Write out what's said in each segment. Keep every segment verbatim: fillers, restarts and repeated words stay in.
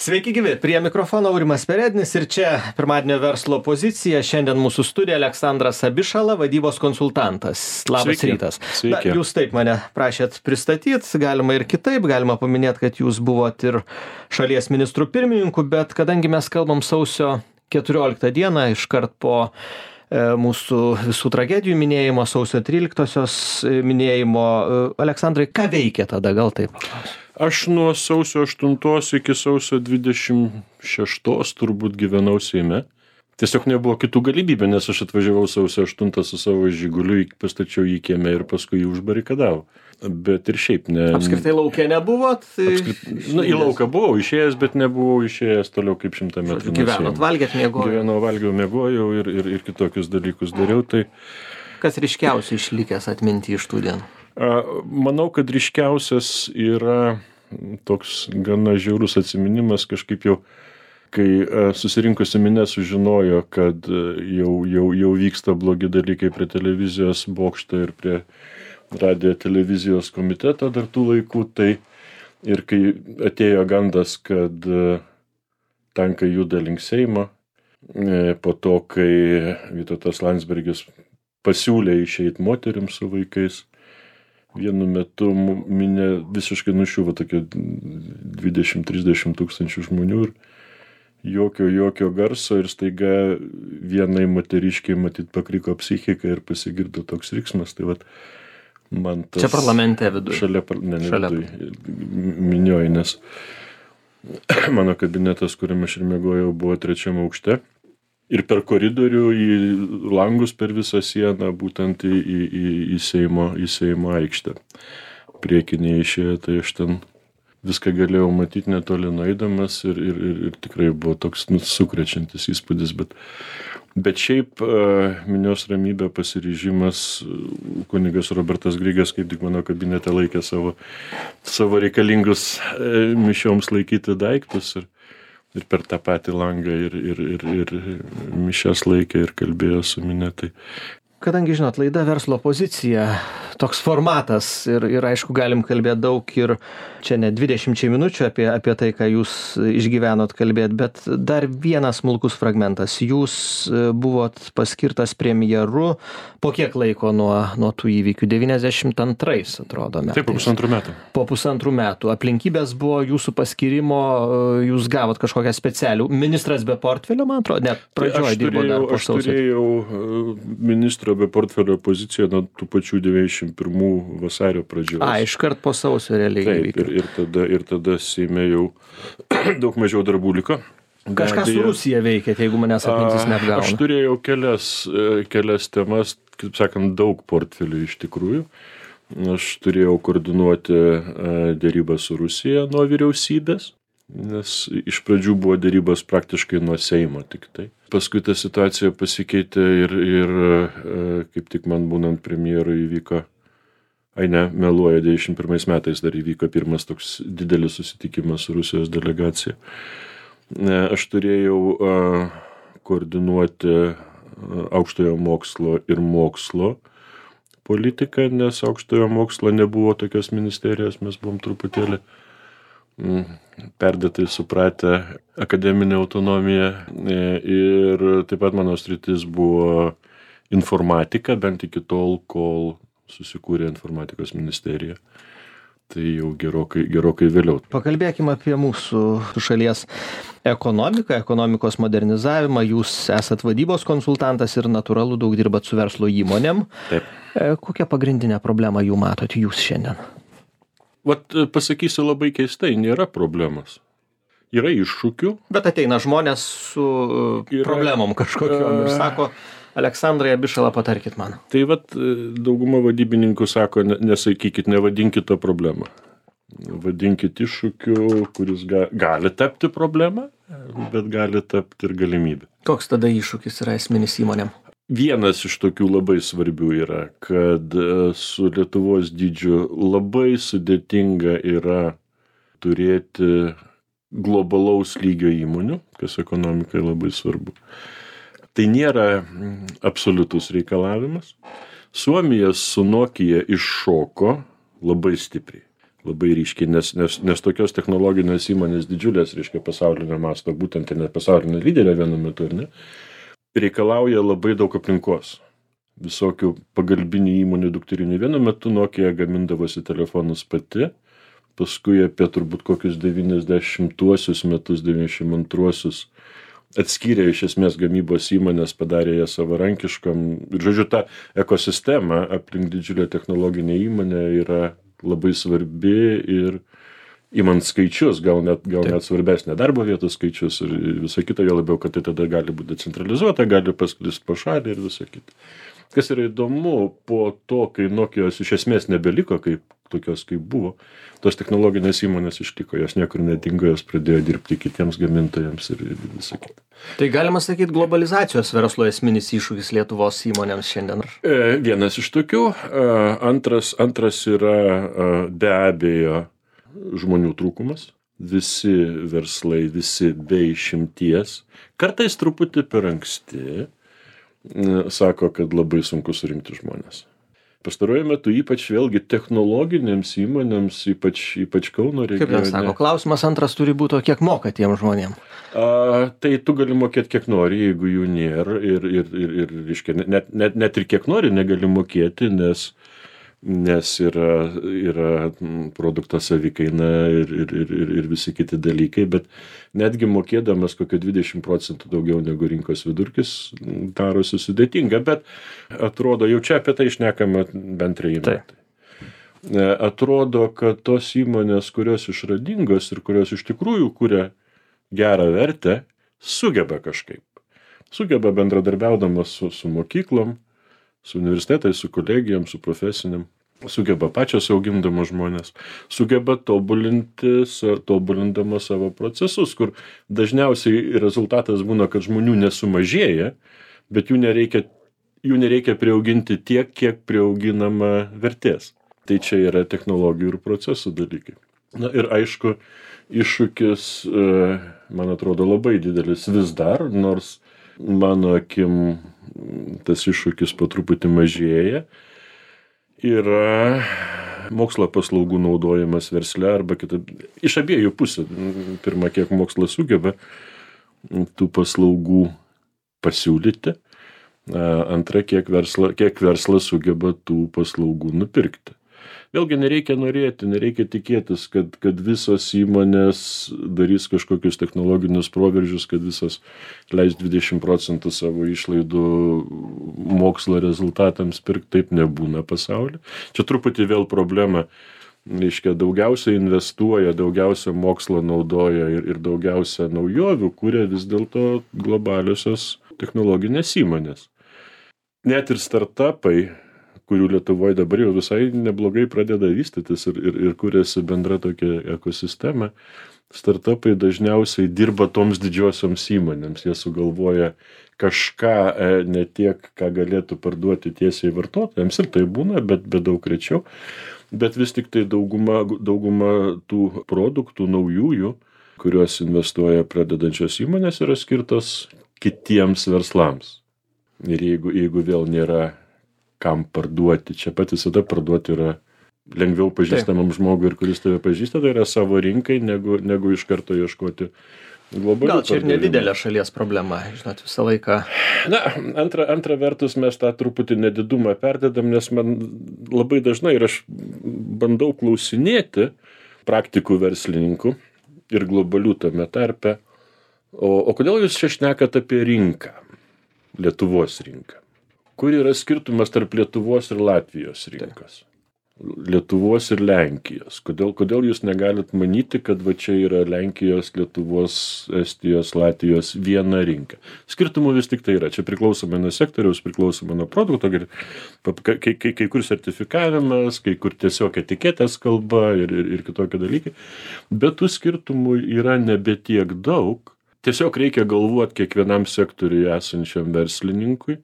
Sveiki gyvi, prie mikrofono Aurimas Perednis ir čia pirmadienio verslo pozicija. Šiandien mūsų studija Aleksandras Abišala, vadybos konsultantas. Labas Sveiki. rytas. Sveiki. Na, jūs taip mane prašėt pristatyti, galima ir kitaip, galima paminėti, kad jūs buvot ir šalies ministrų pirmininku, bet kadangi mes kalbam sausio keturioliktą dieną, iškart po e, mūsų visų tragedijų minėjimo, sausio tryliktosios minėjimo, e, Aleksandrai, ką veikė tada, gal taip? Aš nuo sausio aštuntos iki sausio dvidešimt šeštos turbūt gyvenau Seime. Tiesiog nebuvo kitų galimybių, nes aš atvažiavau sausio aštuntą su savo Žiguliu, pastačiau jį kieme ir paskui jį užbarikadavau. Bet ir šiaip ne... Apskritai lauke nebuvot? Apskrit... Nu, į lauką buvau išėjęs, bet nebuvau išėjęs toliau kaip šimtą metrų. Gyvenot, valgėt, miegojot? Gyvenau, valgiau, miegojau ir, ir, ir kitokius dalykus dariau. Tai... Kas ryškiausiai išlikęs atminti iš tų dienų? Manau, kad ryškiausias yra toks gana žiaurus atsiminimas, kažkaip jau, kai susirinkusi minė sužinojo, kad jau, jau, jau vyksta blogi dalykai prie televizijos bokšto ir prie radijo televizijos komiteto dar tų laikų, tai ir kai atėjo gandas, kad tankai juda link Seimo, po to, kai Vytautas Landsbergis pasiūlė išeiti moterims su vaikais, vienu metu minė visiškai nušiuvo tokie dvidešimt trisdešimt tūkstančių žmonių ir jokio, jokio garso ir staiga vienai moteriškiai matyt pakriko psichika ir pasigirdo toks riksmas. Tai vat, man tas... Čia parlamente viduje? Šalia, ne, ne šalia. Viduje, minioji, nes mano kabinetas, kuriame aš ir miegojau, buvo trečiame aukšte. Ir per koridorių į langus per visą sieną, būtent į, į, į, į, Seimo, į Seimo aikštę. Priekinėje išėjo, tai aš ten viską galėjau matyti netoli nueidamas ir, ir, ir, ir tikrai buvo toks nu, sukrečiantis įspūdis. Bet, bet šiaip minios ramybė, pasiryžimas, kunigas Robertas Grigas, kaip tik mano kabinete laikė savo, savo reikalingus mišioms laikyti daiktus. Ir, ir per tą patį langą ir, ir, ir, ir mišias laikė ir kalbėjo su minia. Tai... Kadangi, žinot, laida verslo pozicija, toks formatas ir, ir aišku, galim kalbėti daug ir čia ne dvidešimčiai minučių apie, apie tai, ką jūs išgyvenot kalbėti, bet dar vienas smulkus fragmentas. Jūs buvot paskirtas premjeru po kiek laiko nuo, nuo tų įvykių? devyniasdešimt antrais, atrodo, metais. Taip, po pusantrų metų. Po pusantrų metų. Aplinkybės buvo jūsų paskirimo, jūs gavot kažkokią specialių. Ministras be portfelio, man atrodo, net pradžioje dirbo dar po sausio. Aš turėjau ministro be portfelio poziciją nuo tų pačių devyniasdešimt pirmų vasario pradžios. A, iškart po sausio realiai. Taip, ir, ir, tada, ir tada Seime jau daug mažiau darbų liko. Kažką su Rusija veikėt, jeigu manęs atmintis neapgauna. Aš turėjau kelias, kelias temas, kaip sakant, daug portfelių iš tikrųjų. Aš turėjau koordinuoti dėrybą su Rusija nuo vyriausybės, nes iš pradžių buvo dėrybos praktiškai nuo Seimo tik tai. Paskui ta situacija pasikeitė ir, ir kaip tik man būnant premjeru įvyko, ai ne, meluoja, devyniasdešimt pirmais metais dar įvyko pirmas toks didelis susitikimas su Rusijos delegacija. Aš turėjau koordinuoti aukštojo mokslo ir mokslo politiką, nes aukštojo mokslo nebuvo tokios ministerijos, mes buvom truputėlį perdėtai supratę akademinę autonomiją ir taip pat mano sritis buvo informatika, bent iki tol, kol susikūrė informatikos ministerija. Tai jau gerokai, gerokai vėliau. Pakalbėkime apie mūsų šalies ekonomiką, ekonomikos modernizavimą. Jūs esat vadybos konsultantas ir natūralu daug dirbat su verslo įmonėm. Taip. Kokią pagrindinę problemą jų matot jūs šiandien? Vat pasakysiu labai keistai, nėra problemos. Yra iššūkių. Bet ateina žmonės su yra, problemom kažkokiom ir sako, Aleksandrai Abišala, patarkit man. Tai vat dauguma vadybininkų sako, nesakykit, nevadinkit to problemą. Vadinkit iššūkiu, kuris ga, gali tapti problemą, bet gali tapti ir galimybė. Koks tada iššūkis yra esminis įmonėm? Vienas iš tokių labai svarbių yra, kad su Lietuvos dydžiu labai sudėtinga yra turėti globalaus lygio įmonių, kas ekonomikai labai svarbu. Tai nėra absoliutus reikalavimas. Suomija su Nokia iššoko labai stipriai. Labai ryškiai, nes, nes, nes tokios technologinės įmonės didžiulės, reiškia, pasaulinio masto, būtent ir net pasaulinė lyderė vienu metu, ir ne, reikalauja labai daug aplinkos. Visokių pagalbinių įmonių dukterinių. Vienu metu Nokia gamindavosi telefonus pati, paskui apie turbūt kokius devyniasdešimtuosius metus, devyniasdešimt antruosius atskyrė iš esmės gamybos įmonės, padarė ją savarankiškam. Ir žodžiu, ta ekosistema aplink didžiulę technologinę įmonę yra labai svarbi ir imant skaičius, gal net, gal net svarbesnė darbo vietų skaičius ir visą kitą, jo labiau, kad tai tada gali būti decentralizuota, gali pasklist po šalį ir visą kitą. Kas yra įdomu, po to, kai Nokijos iš esmės nebeliko kaip tokios, kaip buvo, tos technologinės įmonės išliko, jos niekur nedingo, jos pradėjo dirbti kitiems gamintojams ir, ir visą kitą. Tai galima sakyti, globalizacijos verslo esminis iššūkis Lietuvos įmonėms šiandien? E, vienas iš tokių. Antras, antras yra be abejo žmonių trūkumas. Visi verslai, visi be išimties, kartais truputį per anksti, sako, kad labai sunku surinkti žmonės. Pastaruoju metu ypač vėlgi technologinėms įmonėms, ypač, ypač Kauno regione. Kaip ten sako, klausimas antras turi būti, kiek moka tiem žmonėm? A, tai tu gali mokėti kiek nori, jeigu jų nėra ir, ir, ir, ir reiškia, net, net, net ir kiek nori negali mokėti, nes nes yra, yra produkto savikaina ir, ir, ir, ir visi kiti dalykai, bet netgi mokėdamas kokio dvidešimt procentų daugiau negu rinkos vidurkis darosi sudėtinga, bet atrodo, jau čia apie tai šnekama bent treji metai. Atrodo, kad tos įmonės, kurios išradingos ir kurios iš tikrųjų kuria gerą vertę, sugeba kažkaip. Sugeba bendradarbiaudamas su, su mokyklom, su universitetais, su kolegijom, su profesiniam, sugeba pačios augindamos žmonės, sugeba tobulinti, tobulindama savo procesus, kur dažniausiai rezultatas būna, kad žmonių nesumažėja, bet jų nereikia, jų nereikia priauginti tiek, kiek priauginama vertės. Tai čia yra technologijų ir procesų dalykai. Na ir aišku, iššūkis, man atrodo, labai didelis vis dar, nors mano akim tas iššūkis po truputį mažėja, yra mokslo paslaugų naudojimas versle arba kitaip, iš abiejų pusių. Pirma, kiek mokslas sugeba tų paslaugų pasiūlyti, antra, kiek, versla, kiek verslas sugeba tų paslaugų nupirkti. Vėlgi nereikia norėti, nereikia tikėtis, kad, kad visos įmonės darys kažkokius technologinius proveržius, kad visos leis dvidešimt procentų savo išlaidų mokslo rezultatams pirkti, taip nebūna pasaulyje. Čia truputį vėl problema, reiškia, daugiausia investuoja, daugiausia mokslo naudoja ir, ir daugiausia naujovių kuria vis dėlto globaliosios technologinės įmonės. Net ir startupai, kurių Lietuvoje dabar jau visai neblogai pradeda vystytis ir, ir, ir kuriasi bendra tokia ekosistema, startupai dažniausiai dirba toms didžiosioms įmonėms. Jie sugalvoja kažką ne tiek, ką galėtų parduoti tiesiai vartotojams, ir tai būna, bet, bet daug rečiau. Bet vis tik tai dauguma, dauguma tų produktų naujųjų, kuriuos investuoja pradedančios įmonės, yra skirtos kitiems verslams. Ir jeigu, jeigu vėl nėra kam parduoti. Čia pat visada parduoti yra lengviau pažįstamam žmogui ir kuris tave pažįsta, tai yra savo rinkai, negu, negu iš karto ieškoti globalių. Gal čia ir nedidelė šalies problema, žinot, visą laiką. Na, antra, antra vertus mes tą truputį nedidumą perdedam, nes man labai dažnai ir aš bandau klausinėti praktikų verslininkų ir globalių tame tarpe, o, o kodėl jūs čia šnekat apie rinką, Lietuvos rinką? Kur yra skirtumas tarp Lietuvos ir Latvijos rinkos? Lietuvos ir Lenkijos. Kodėl, kodėl jūs negalit manyti, kad va čia yra Lenkijos, Lietuvos, Estijos, Latvijos viena rinka? Skirtumų vis tik tai yra. Čia priklausomai nuo sektoriaus, priklausomai nuo produkto, kai, kai, kai kur sertifikavimas, kai kur tiesiog etiketės kalba ir, ir, ir kitokie dalykai. Bet tų skirtumų yra nebe tiek daug. Tiesiog reikia galvoti kiekvienam sektoriui esančiam verslininkui,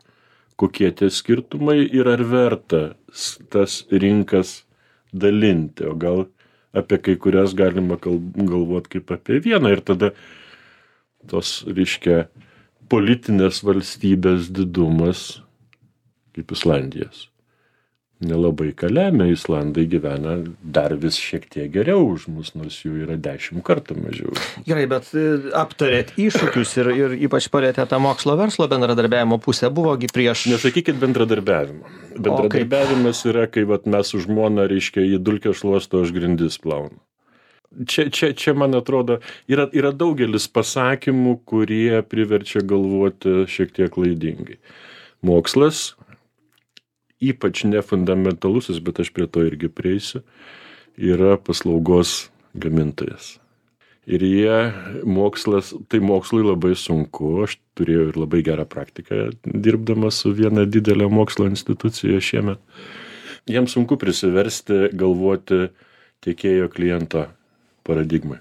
kokie tie skirtumai ir ar verta tas rinkas dalinti, o gal apie kai kurias galima galvoti kaip apie vieną ir tada tos, reiškia, politinės valstybės didumas kaip Islandijos. nelabai ką lemia. Islandai gyvena dar vis šiek tiek geriau už mus, nors jų yra dešimt kartų mažiau. Gerai, bet aptarėt iššūkius ir, ir ypač palėtė tą mokslo verslo bendradarbiavimo pusę. Buvogi prieš... Nesakykit bendradarbiavimo. Bendradarbiavimas yra, kai vat, mes su žmona, reiškia, į dulkę šluosto, aš grindis plaunu. Čia, čia, čia, man atrodo, yra, yra daugelis pasakymų, kurie priverčia galvoti šiek tiek klaidingai. Mokslas, ypač nefundamentalusis, bet aš prie to irgi prieisiu, yra paslaugos gamintojas. Ir jie, mokslas, tai mokslui labai sunku, aš turėjau ir labai gerą praktiką dirbdamas su viena didelė mokslo institucija šiemet. Jiems sunku prisiversti galvoti tiekėjo kliento paradigmai.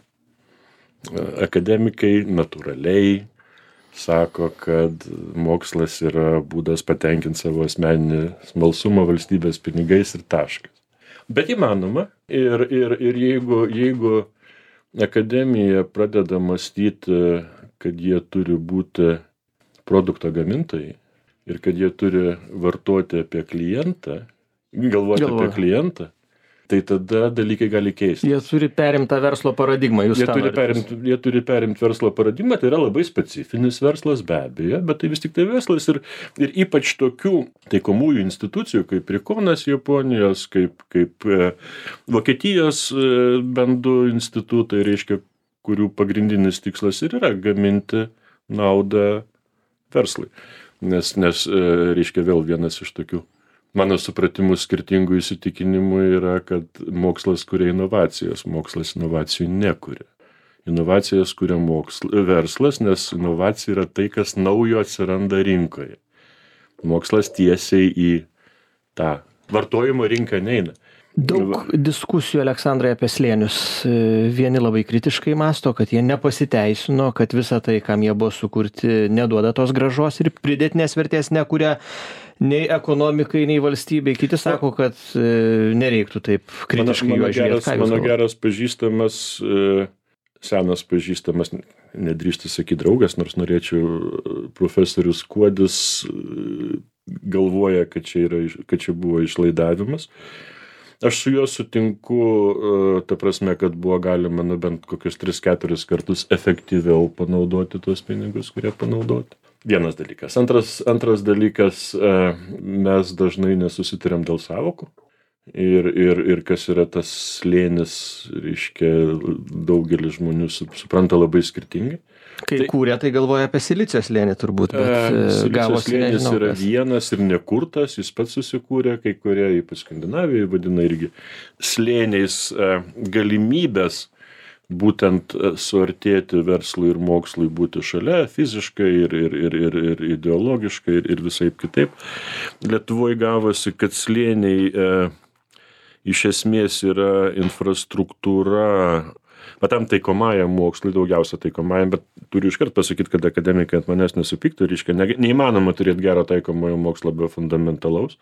Akademikai natūraliai sako, kad mokslas yra būdas patenkinti savo asmeninį smalsumą valstybės pinigais ir taškas. Bet įmanoma. Ir, ir, ir jeigu, jeigu akademija pradeda mąstyti, kad jie turi būti produkto gamintojai ir kad jie turi vartoti apie klientą, galvoti Galvoju. apie klientą, tai tada dalykai gali keistis. Jie turi perimtą verslo paradigmą. Jūs Jie turi, perimt, jie turi perimti verslo paradigmą, tai yra labai specifinis verslas be abejo, bet tai vis tik tai verslas ir, ir ypač tokių taikomųjų institucijų kaip Rikonas Japonijos, kaip, kaip e, Vokietijos e, bendų institutai, reiškia, kurių pagrindinis tikslas ir yra gaminti naudą verslui. Nes, nes e, reiškia, vėl vienas iš tokių mano supratimų skirtingų įsitikinimų yra, kad mokslas kuria inovacijas, mokslas inovacijų nekuria. Inovacijas kuria moksl... verslas, nes inovacija yra tai, kas naujo atsiranda rinkoje. Mokslas tiesiai į tą vartojimo rinką neina. Daug diskusijų, Aleksandrai, apie slėnius. Vieni labai kritiškai mąsto, kad jie nepasiteisino, kad visa tai, kam jie buvo sukurti, neduoda tos grąžos ir pridėtinės vertės nekuria nei ekonomikai, nei valstybei. Kiti sako, kad nereiktų taip kritiškai mano, mano juos žiūrėti. geras, mano geras pažįstamas, senas pažįstamas, nedrįstu sakyti draugas, nors norėčiau, profesorius Kuodis galvoja, kad čia, yra, kad čia buvo išlaidavimas. Aš su juo sutinku, ta prasme, kad buvo galima nu, bent kokius tris keturis kartus efektyviau panaudoti tuos pinigus, kurie panaudoti. Vienas dalykas. Antras, antras dalykas, mes dažnai nesusitariam dėl sąvokų. Ir, ir, ir kas yra tas slėnis, reiškia, daugelis žmonių supranta labai skirtingai. Kai tai, kūrė, tai galvoja apie silicio slėnį turbūt, bet e, gavosi slėnis nežinau. Yra kas. vienas ir nekurtas, jis pats susikūrė, kai kurie, ypač Skandinavijoje, vadina irgi slėniais e, galimybės būtent suartėti verslui ir mokslui, būti šalia fiziškai ir, ir, ir, ir, ir ideologiškai ir, ir visaip kitaip. Lietuvoje gavosi, kad slėniai e, iš esmės yra infrastruktūra, bet tam taikomajam mokslui, daugiausia taikomajam, bet turiu iškart pasakyti, kad akademikai ant manęs nesupyktų, reiškia, ne, neįmanoma turėti gero taikomojo mokslo be fundamentalaus.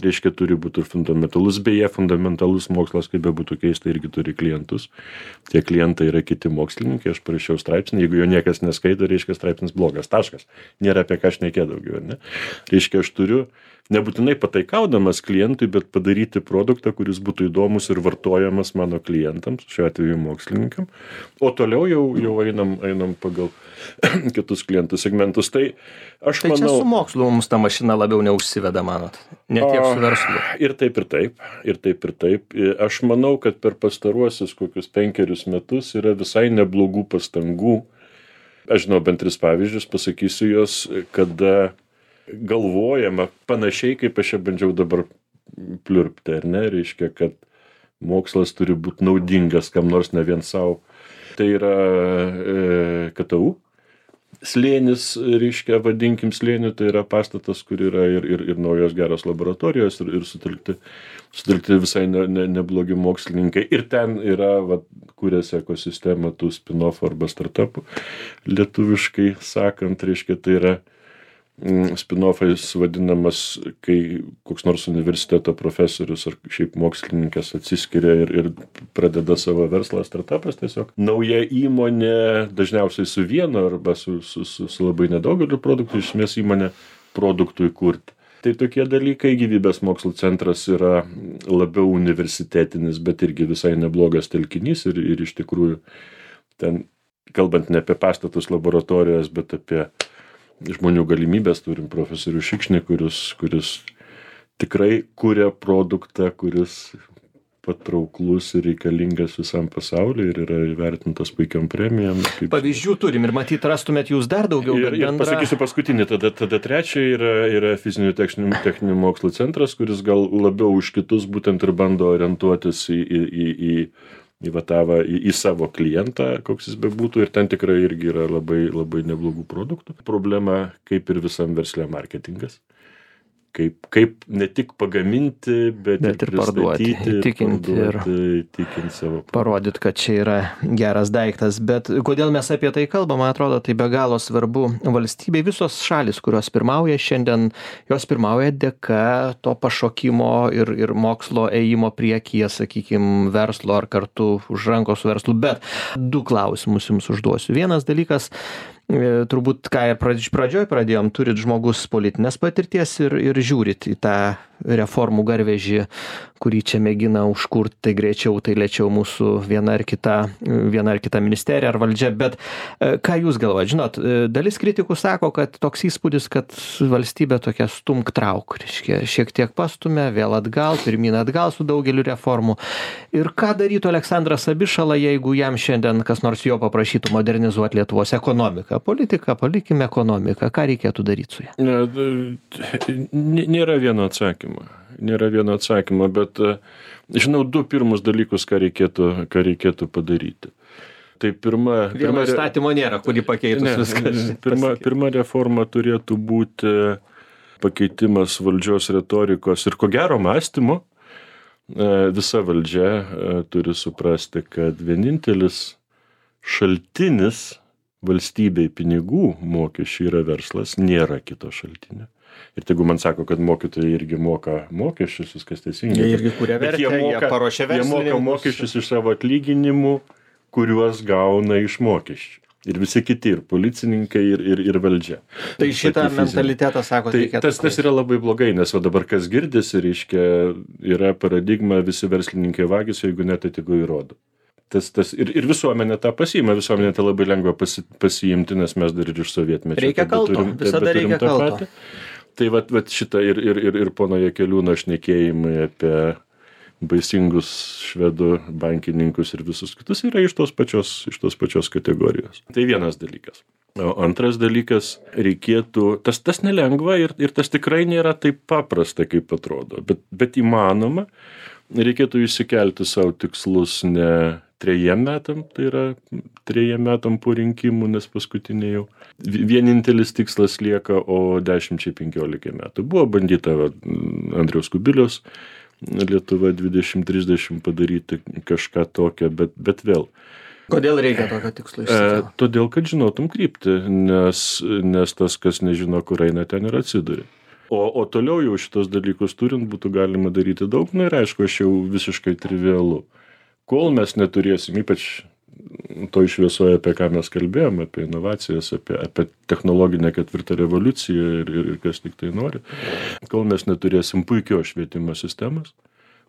Reiškia, turi būti ir fundamentalus, beje, fundamentalus mokslas, kaip be būtų keista, irgi turi klientus. Tie klientai yra kiti mokslininkai, aš parašiau straipsnį, jeigu jo niekas neskaito, reiškia, straipsnis blogas, taškas. Nėra apie ką šnekėti daugiau, ne? Reiškia, aš turiu nebūtinai pataikaudamas klientui, bet padaryti produktą, kuris būtų įdomus ir vartojamas mano klientams, šiuo atveju mokslininkam. O toliau jau, jau einam, einam pagal kitus klientų segmentus. Tai aš tai manau... čia su mokslu mums ta mašina labiau neužsiveda, manot? Ne tiek su verslu. Ir taip, ir taip. Ir taip, ir taip. Aš manau, kad per pastaruosius kokius penkerius metus yra visai neblogų pastangų. Aš žinau, bent tris pavyzdžius, pasakysiu jos, kada galvojama panašiai, kaip aš čia bandžiau dabar pliurpti, ar ne? Reiškia, kad mokslas turi būti naudingas kam nors, ne vien savo. Tai yra e, K T U. Slėnis, reiškia, vadinkim slėniu, tai yra pastatas, kur yra ir, ir, ir naujos geros laboratorijos ir, ir sutelkti, sutelkti visai ne, ne, neblogi mokslininkai. Ir ten yra, va, kūrėsi ekosistema tų spin-off arba startupų. Lietuviškai sakant, reiškia, tai yra spin-offais vadinamas, kai koks nors universiteto profesorius ar šiaip mokslininkas atsiskiria ir, ir pradeda savo verslą, startupas tiesiog. Nauja įmonė, dažniausiai su vienu arba su, su, su, su labai nedaugeliu produktų, iš esmės įmonė produktui kurti. Tai tokie dalykai, gyvybės mokslų centras yra labiau universitetinis, bet irgi visai neblogas telkinys ir, ir iš tikrųjų ten, kalbant ne apie pastatus laboratorijos, bet apie žmonių galimybės, turim profesorių Šikšnį, kuris, kuris tikrai kuria produktą, kuris patrauklus ir reikalingas visam pasauliu ir yra įvertintas puikiam premijom. Kaip... Pavyzdžių turim ir matyt rastumėt jūs dar daugiau. Ir, ir bendra... pasakysiu paskutinį, tada, tada trečia yra, yra fizinių techninių, techninių mokslų centras, kuris gal labiau už kitus būtent ir bando orientuotis į, į, į, į, į, vatavą, į, į savo klientą, koks jis bebūtų, ir ten tikrai irgi yra labai, labai neblogų produktų. Problema, kaip ir visam versle, marketingas. Kaip, kaip ne tik pagaminti, bet, bet ir, ir parduoti, įtikinti ir įtikinti savo. Parodyti, kad čia yra geras daiktas. Bet kodėl mes apie tai kalbam, man atrodo, tai be galo svarbu valstybei. Visos šalis, kurios pirmauja šiandien, jos pirmauja dėka to pašokimo ir, ir mokslo ėjimo priekyje, sakykime, verslo ar kartu už rankos verslu. Bet du klausimus jums užduosiu. Vienas dalykas, turbūt, ką ir pradžioj pradėjom, turit žmogus politinės patirties ir, ir žiūrit į tą reformų garvežį, kurį čia mėgina užkurti, tai greičiau, tai lėčiau mūsų viena ar kita, viena ar kita ministerija ar valdžia. Bet ką jūs galvojat? Žinot, dalis kritikų sako, kad toks įspūdis, kad valstybė tokia stumk trauk, reiškia, šiek tiek pastumė, vėl atgal, pirmyn atgal su daugeliu reformų. Ir ką darytų Aleksandras Abišala, jeigu jam šiandien kas nors jo paprašytų modernizuoti Lietuvos ekonomiką? Politika, palikime ekonomiką. Ką reikėtų daryti su ja? Nėra vieno atsakymo. Nėra vieno atsakymo, bet žinau du pirmus dalykus, ką reikėtų, ką reikėtų padaryti. Tai pirma... Vieno pirma įstatymo nėra, kurį pakeitus ne, viskas. Pirma, pirma reforma turėtų būti pakeitimas valdžios retorikos ir ko gero mąstymo. Visa valdžia turi suprasti, kad vienintelis šaltinis valstybei pinigų mokesčių yra verslas, nėra kito šaltinio. Ir jeigu man sako, kad mokytojai irgi moka mokesčius, viskas teisingai. Jie irgi kuria vertę, jie, moka, jie paruošia verslininkus. Jie moka mokesčius iš savo atlyginimų, kuriuos gauna iš mokesčių. Ir visi kiti, ir policininkai, ir, ir, ir valdžia. Tai šitą mentalitetą, sako, tai reikėtų. Tas, tas yra labai blogai, nes va dabar kas girdisi, reiškia, yra paradigma, visi verslininkai vagys, jeigu net atigu įrodo. Tas, tas, ir, ir visuomenė tą pasiima, visuomenė tą labai lengva pasi, pasiimti, nes mes dar ir iš sovietmečio. Reikia kalto, visada reikia kalto. Tai vat, vat šitą ir, ir, ir, ir pono Jakeliūno šnekėjimai apie baisingus švedų bankininkus ir visus kitus yra iš tos pačios, iš tos pačios kategorijos. Tai vienas dalykas. O antras dalykas, reikėtų, tas, tas nelengva ir, ir tas tikrai nėra taip paprasta, kaip atrodo, bet, bet įmanoma, reikėtų išsikelti savo tikslus ne trejiem metam, tai yra trejiem metam po rinkimų, nes paskutinė jau vienintelis tikslas lieka, o dešimčiai penkiolika metų. Buvo bandyta Andriaus Kubiliaus Lietuva dvidešimt trisdešimt padaryti kažką tokio, bet, bet vėl. Kodėl reikia tokio tikslo išsikelti? E, todėl, kad žinotum kryptį, nes, nes tas, kas nežino, kur eina, ten ir atsiduria. O, o toliau jau šitos dalykus turint būtų galima daryti daug, na ir aišku, aš jau visiškai trivialu. Kol mes neturėsim, ypač toj šviesoje, apie ką mes kalbėjom, apie inovacijas, apie, apie technologinę ketvirtą revoliuciją ir, ir, ir kas tik tai nori, kol mes neturėsim puikios švietimo sistemos,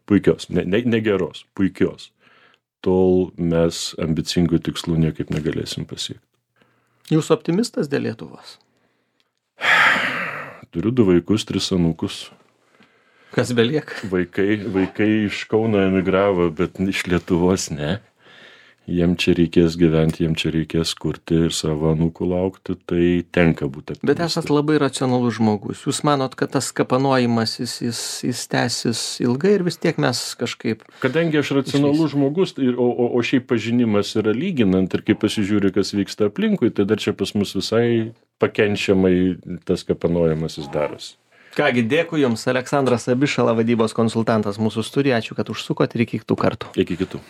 puikios, ne, ne, ne geros, puikios, tol mes ambicingų tikslų niekaip negalėsim pasiekti. Jūs optimistas dėl Lietuvos? Turiu du vaikus, tris anūkus. Kas belieka? Vaikai, vaikai iš Kauno emigravo, bet iš Lietuvos ne. Jiem čia reikės gyventi, jiem čia reikės kurti ir savo anūkų laukti, tai tenka būti optimistas. Bet esat labai racionalus žmogus. Jūs manot, kad tas kapanojimas, jis, jis, jis tęsis ilgai ir vis tiek mes kažkaip... Kadangi aš racionalus žmogus, ir, o, o, o šiaip pažinimas yra lyginant ir kai pasižiūri, kas vyksta aplinkui, tai dar čia pas mus visai pakenčiamai tas kapanojimas jis darosi. Kągi, dėkui Jums, Aleksandras Abišala, vadybos konsultantas mūsų studijai. Ačiū, kad užsukot ir iki kitų kartų. Iki kitų.